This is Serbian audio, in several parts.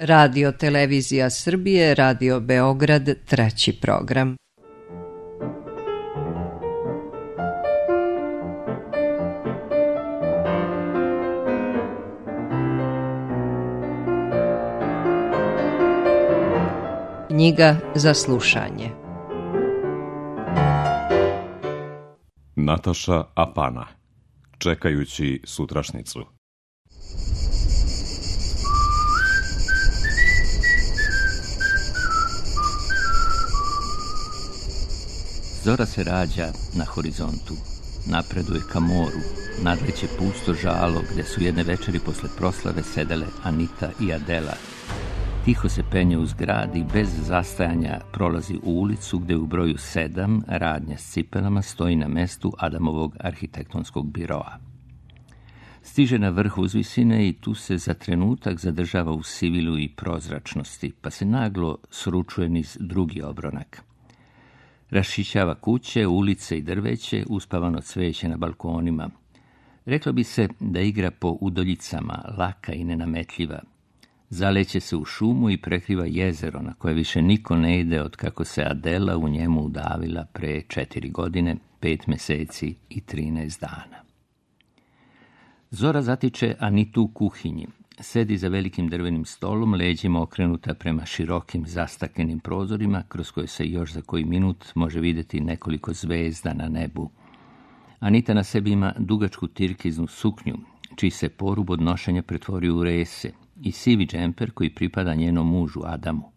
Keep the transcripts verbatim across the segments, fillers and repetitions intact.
Radio Televizija Srbije, Radio Beograd, treći program. Knjiga za slušanje. Nataša Apana. Čekajući sutrašnicu. Zora se rađa na horizontu, napreduje ka moru, nadleće pusto žalo gde su jedne večeri posle proslave sedele Anita i Adela. Tiho se penje uz grad i bez zastajanja prolazi u ulicu gde u broju sedam radnja s cipelama stoji na mestu Adamovog arhitektonskog biroa. Stiže na vrh uzvisine i tu se za trenutak zadržava u sivilu i prozračnosti, pa se naglo sručuje niz drugi obronak. Raščišćava kuće, ulice i drveće, uspavano cveće na balkonima. Reklo bi se da igra po udoljicama, laka i nenametljiva. Zaleće se u šumu i prekriva jezero na koje više niko ne ide od kako se Adela u njemu udavila pre četiri godine, pet meseci i trinaest dana. Zora zatiče Anitu u kuhinji. Sedi za velikim drvenim stolom, leđima okrenuta prema širokim zastaklenim prozorima, kroz koje se još za koji minut može vidjeti nekoliko zvezda na nebu. Anita na sebi ima dugačku tirkiznu suknju, čiji se porub od nošenja pretvorio u rese, i sivi džemper koji pripada njenom mužu Adamu.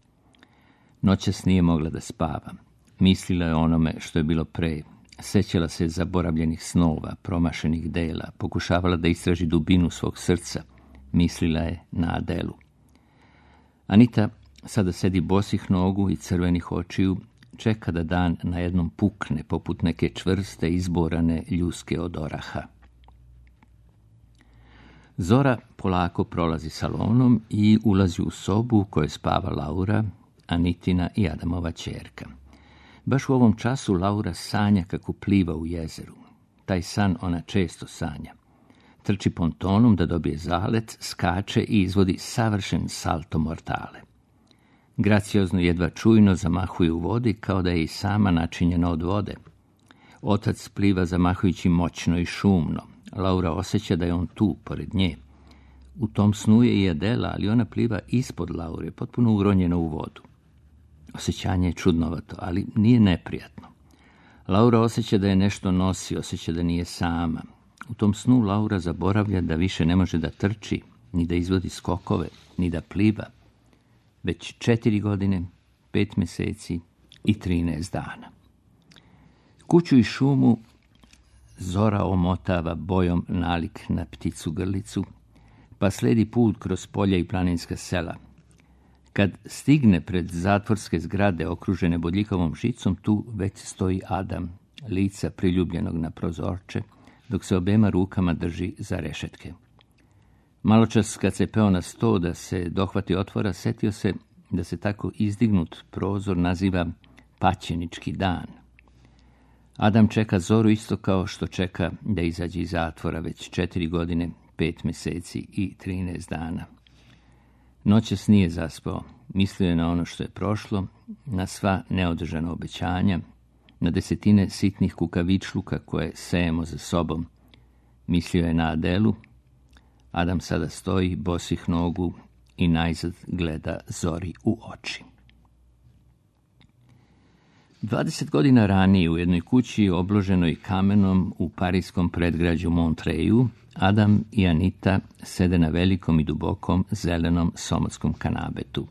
Noćas nije mogla da spava. Mislila je onome što je bilo pre. Sećala se zaboravljenih snova, promašenih dela, pokušavala da istraži dubinu svog srca. Mislila je na Adelu. Anita sada sedi bosih nogu i crvenih očiju, čeka da dan na jednom pukne poput neke čvrste izborane ljuske od oraha. Zora polako prolazi salonom i ulazi u sobu u kojoj spava Laura, Anitina i Adamova ćerka. Baš u ovom času Laura sanja kako pliva u jezeru. Taj san ona često sanja. Trči pontonom da dobije zalet, skače i izvodi savršen salto mortale. Graciozno jedva čujno zamahuje u vodi kao da je i sama načinjena od vode. Otac pliva zamahujući moćno i šumno. Laura osjeća da je on tu, pored nje. U tom snu je i Adela, ali ona pliva ispod Laure, potpuno uronjena u vodu. Osjećanje je čudnovato, ali nije neprijatno. Laura osjeća da je nešto nosi, osjeća da nije sama. U tom snu Laura zaboravlja da više ne može da trči, ni da izvodi skokove, ni da pliva. Već četiri godine, pet meseci i trinaest dana. Kuću i šumu Zora omotava bojom nalik na pticu grlicu, pa sledi put kroz polja i planinska sela. Kad stigne pred zatvorske zgrade okružene bodljikavom žicom, tu već stoji Adam, lica priljubljenog na prozorče, dok se obema rukama drži za rešetke. Maločas kad se peo na sto da se dohvati otvora, setio se da se tako izdignut prozor naziva paćenički dan. Adam čeka Zoru isto kao što čeka da izađe iz zatvora već četiri godine, pet meseci i trinaest dana. Noćas nije zaspao, mislio je na ono što je prošlo, na sva neodržana obećanja, na desetine sitnih kukavičluka koje sejemo za sobom. Mislio je na Adelu. Adam sada stoji bosih nogu i najzad gleda Zori u oči. Dvadeset godina ranije u jednoj kući obloženoj kamenom u parijskom predgrađu Montreju, Adam i Anita sede na velikom i dubokom zelenom somotskom kanabetu.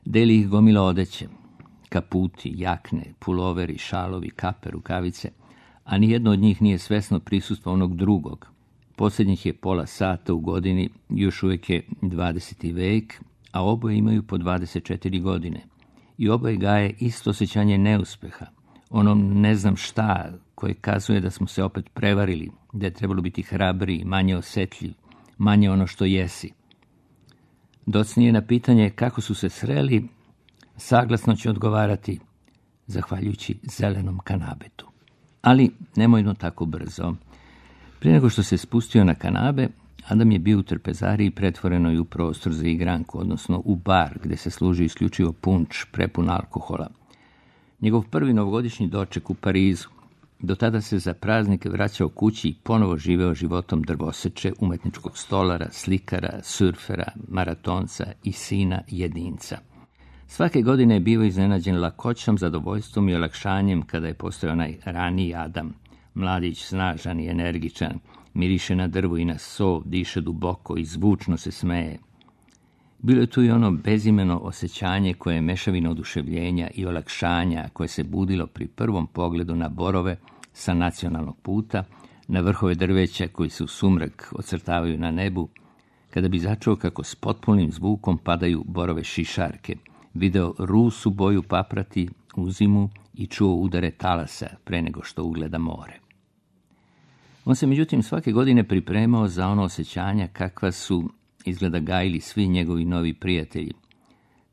Deli ih gomila odeće, kaputi, jakne, puloveri, šalovi, kape, rukavice, a nijedno od njih nije svesno prisustvo onog drugog. Posljednjih je pola sata u godini, još uvijek je dvadeseti vek, a oboje imaju po dvadeset četiri godine. I oboje gaje isto osjećanje neuspeha, ono ne znam šta koje kazuje da smo se opet prevarili, da je trebalo biti hrabriji, manje osjetljiv, manje ono što jesi. Docnije na pitanje kako su se sreli, saglasno će odgovarati, zahvaljujući zelenom kanabetu. Ali nemojno tako brzo. Prije nego što se spustio na kanabe, Adam je bio u trpezariji pretvorenoj u prostor za igranku, odnosno u bar gdje se služi isključivo punč prepun alkohola. Njegov prvi novogodišnji doček u Parizu. Do tada se za praznike vraćao kući i ponovo živeo životom drvoseče, umetničkog stolara, slikara, surfera, maratonca i sina jedinca. Svake godine je bio iznenađen lakoćom, zadovoljstvom i olakšanjem kada je postao onaj raniji Adam. Mladić, snažan i energičan, miriše na drvu i na so, diše duboko i zvučno se smeje. Bilo je tu i ono bezimeno osjećanje koje je mešavina oduševljenja i olakšanja koje se budilo pri prvom pogledu na borove sa nacionalnog puta, na vrhove drveća koji se u sumrak ocrtavaju na nebu, kada bi začuo kako s potpunim zvukom padaju borove šišarke, video rusu boju paprati u zimu i čuo udare talasa pre nego što ugleda more. On se međutim svake godine pripremao za ono osjećanja kakva su izgleda gajili svi njegovi novi prijatelji.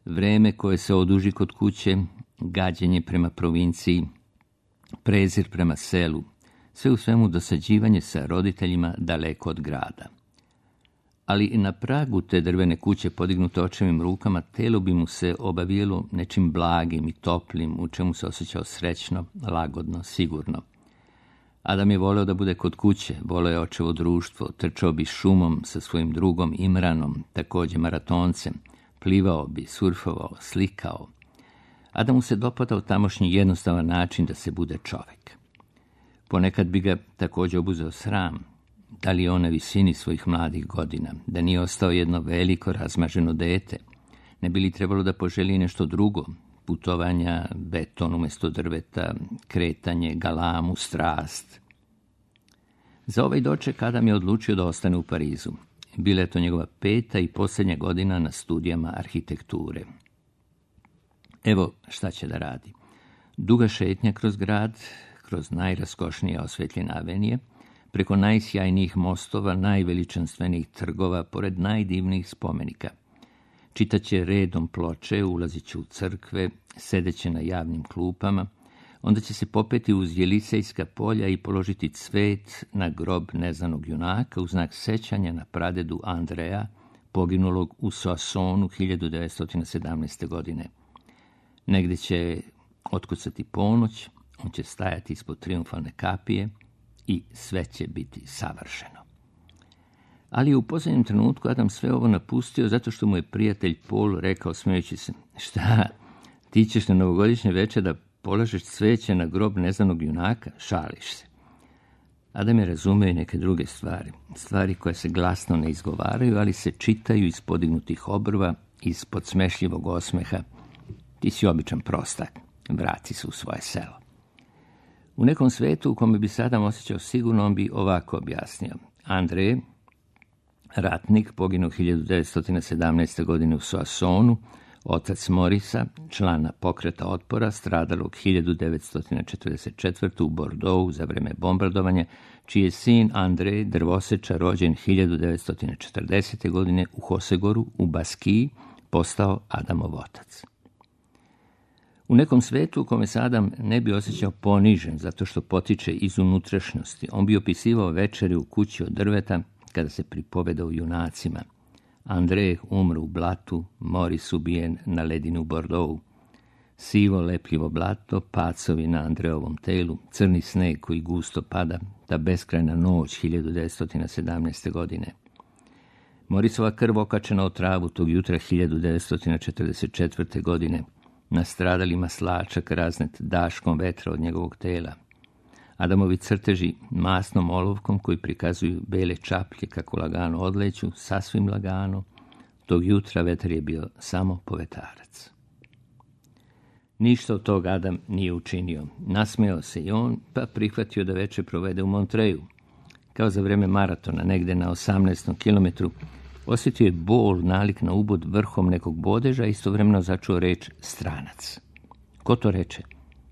Vreme koje se oduži kod kuće, gađenje prema provinciji, prezir prema selu, sve u svemu dosađivanje sa roditeljima daleko od grada. Ali i na pragu te drvene kuće podignute očevim rukama, telo bi mu se obavijelo nečim blagim i toplim, u čemu se osjećao srećno, lagodno, sigurno. Adam je voleo da bude kod kuće, voleo je očevo društvo, trčao bi šumom sa svojim drugom Imranom, također maratoncem, plivao bi, surfovao, slikao. Adamu se dopadao tamošnji jednostavan način da se bude čovjek. Ponekad bi ga također obuzeo sram, da li je on na visini svojih mladih godina, da nije ostao jedno veliko razmaženo dete, ne bi li trebalo da poželi nešto drugo, putovanja, beton umjesto drveta, kretanje, galamu, strast. Za ovaj doček Adam je odlučio da ostane u Parizu. Bila je to njegova peta i posljednja godina na studijama arhitekture. Evo šta će da radi. Duga šetnja kroz grad, kroz najraskošnije osvetljene avenije, preko najsjajnijih mostova, najveličanstvenijih trgova, pored najdivnijih spomenika. Čitaće redom ploče, ulazit će u crkve, sedeće na javnim klupama, onda će se popeti uz Jelisejska polja i položiti cvet na grob neznanog junaka u znak sećanja na pradedu Andreja, poginulog u Soissonu hiljadu devetsto sedamnaeste. godine. Negdje će otkucati ponoć, on će stajati ispod triumfalne kapije i sve će biti savršeno. Ali u posljednjem trenutku Adam sve ovo napustio zato što mu je prijatelj Paul rekao smejući se: šta, ti ćeš na novogodišnje večer da polažeš cveće na grob neznanog junaka? Šališ se. Adam je razumeo i neke druge stvari, stvari koje se glasno ne izgovaraju, ali se čitaju iz podignutih obrva, iz podsmešljivog osmeha. Ti si običan prostak, vrati se u svoje selo. U nekom svetu u kome bi se Adam osjećao sigurno, on bi ovako objasnio. Andrej, ratnik, poginuo hiljadu devetsto sedamnaeste. godine u Soissonu, otac Morisa, člana pokreta otpora, stradalog hiljadu devetsto četrdeset četvrte. u Bordeauxu za vreme bombardovanja, čiji je sin Andrej, drvosečar, rođen hiljadu devetsto četrdesete. godine u Hosegoru, u Baskiji, postao Adamov otac. U nekom svetu u kome se Adam ne bi osjećao ponižen zato što potiče iz unutrašnjosti, on bi opisivao večeri u kući od drveta kada se pripoveda o junacima. Andrej umre u blatu, Moris ubijen na ledini u Bordeauxu. Sivo lepljivo blato, pacovi na Andrejovom telu, crni sneg koji gusto pada, ta beskrajna noć hiljadu devetsto sedamnaeste. godine. Morisova krv okačena o travu tog jutra hiljadu devetsto četrdeset četvrte. godine, nastradali maslačak raznet daškom vetra od njegovog tela. Adamovi crteži masnom olovkom koji prikazuju bele čaplje kako lagano odleću, sasvim lagano, tog jutra vetar je bio samo povetarac. Ništa od toga Adam nije učinio. Nasmejao se i on, pa prihvatio da večer provede u Montreju. Kao za vreme maratona, negde na osamnaestom kilometru, osjetio je bol nalik na ubod vrhom nekog bodeža, istovremeno začuo reč stranac. Ko to reče?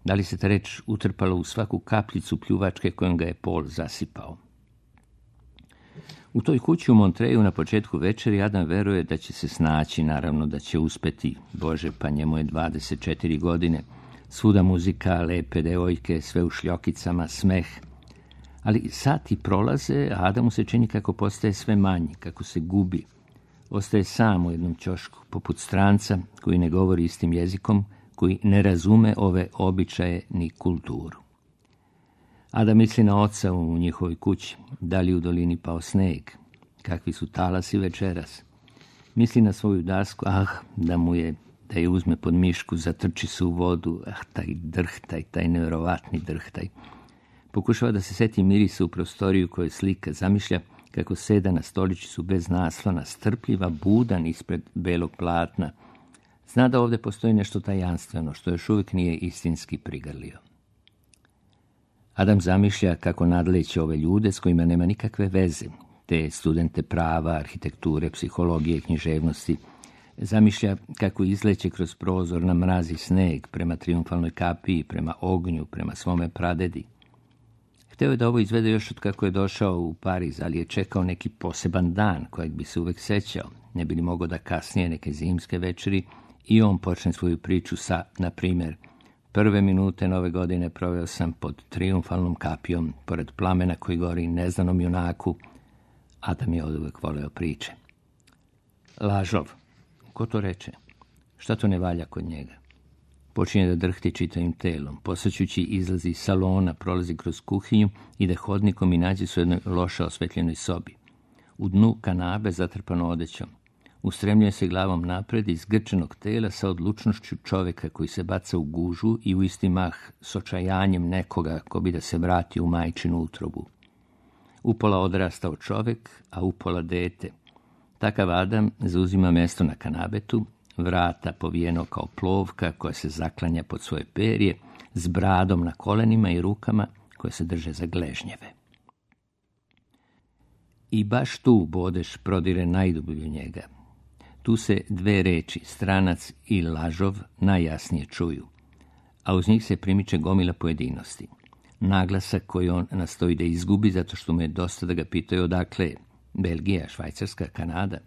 Da li se ta reč utrpala u svaku kapljicu pljuvačke kojom ga je Paul zasipao? U toj kući u Montreju na početku večeri Adam veruje da će se snaći, naravno da će uspeti. Bože, pa njemu je dvadeset četiri godine. Svuda muzika, lepe devojke, sve u šljokicama, smeh. Ali sati prolaze, a Adamu se čini kako postaje sve manji, kako se gubi. Ostaje sam u jednom ćošku, poput stranca koji ne govori istim jezikom, koji ne razume ove običaje ni kulturu. Adam misli na oca u njihovoj kući, da li u dolini pao sneg, kakvi su talasi večeras. Misli na svoju dasku, ah, da mu je, da je uzme pod mišku, zatrči se u vodu, ah, taj drhtaj, taj nevjerovatni drhtaj. Pokušava da se seti mirisa u prostoriju koju slika, zamišlja kako seda na stoličicu bez naslona, strpljiva, budan ispred belog platna. Zna da ovdje postoji nešto tajanstveno, što još uvijek nije istinski prigrlio. Adam zamišlja kako nadleće ove ljude s kojima nema nikakve veze, te studente prava, arhitekture, psihologije i književnosti. Zamišlja kako izleće kroz prozor na mrazi sneg prema triumfalnoj kapiji, prema ognju, prema svome pradedi. Hteo je da ovo izvede još od kako je došao u Pariz, ali je čekao neki poseban dan kojeg bi se uvek sećao. Ne bi li mogao da kasnije neke zimske večeri i on počne svoju priču sa, na primjer, prve minute nove godine proveo sam pod triumfalnom kapijom, pored plamena koji gori neznanom junaku. Adam je oduvek voleo priče. Lažov. Ko to reče? Šta to ne valja kod njega? Počinje da drhti čitavim telom, posvećući izlazi iz salona, prolazi kroz kuhinju, ide hodnikom i nađe se u jednoj loše osvetljenoj sobi. U dnu kanabe zatrpano odećom. Ustremljuje se glavom napred iz grčenog tela sa odlučnošću čoveka koji se baca u gužu i u isti mah s očajanjem nekoga ko bi da se vrati u majčinu utrobu. Upola odrastao čovek, a upola dete. Takav Adam zauzima mesto na kanabetu, vrata povijeno kao plovka koja se zaklanja pod svoje perje, s bradom na kolenima i rukama koje se drže za gležnjeve. I baš tu bodeš prodire najdublje njega. Tu se dve reči, stranac i lažov, najjasnije čuju, a uz njih se primiče gomila pojedinosti. Naglasak koji on nastoji da izgubi zato što mu je dosta da ga pitaju odakle je, Belgija, Švajcarska, Kanada.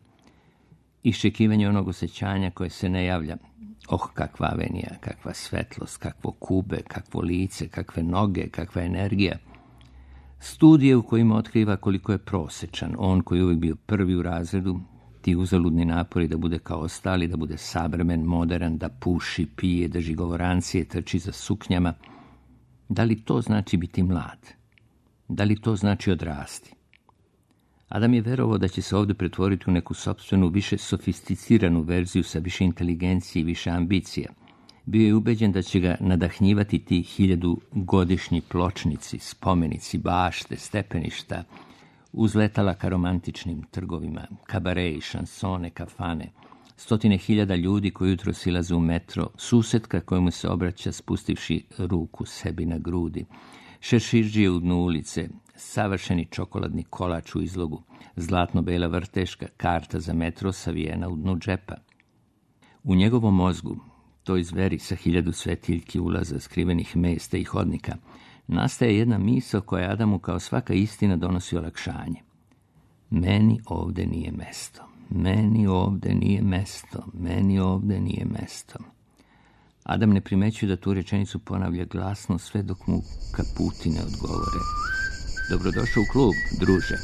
Iščekivanje onog osjećanja koje se ne javlja. Oh, kakva avenija, kakva svetlost, kakvo kube, kakvo lice, kakve noge, kakva energija. Studije u kojima otkriva koliko je prosečan, on koji je uvijek bio prvi u razredu, ti uzaludni napori da bude kao ostali, da bude savremen, modern, da puši, pije, drži govorancije, trči za suknjama. Da li to znači biti mlad? Da li to znači odrasti? Adam je verovao da će se ovdje pretvoriti u neku sopstvenu, više sofisticiranu verziju sa više inteligencije i više ambicija. Bio je ubeđen da će ga nadahnjivati ti hiljadu godišnji pločnici, spomenici, bašte, stepeništa, uzletala ka romantičnim trgovima, kabareji, šansone, kafane, stotine hiljada ljudi koji jutro silaze u metro, susetka kojemu se obraća spustivši ruku sebi na grudi, šeširđije u dnu ulice, savršeni čokoladni kolač u izlogu, zlatno-bela vrteška, karta za metro savijena u dnu džepa. U njegovom mozgu, toj zveri sa hiljadu svetiljki ulaza, skrivenih mesta i hodnika, nastaje jedna misao koja Adamu kao svaka istina donosi olakšanje. Meni ovde nije mesto, meni ovde nije mesto, meni ovde nije mesto. Adam ne primećuje da tu rečenicu ponavlja glasno sve dok mu kaputi ne odgovore. Dobrodošao u klub, druže.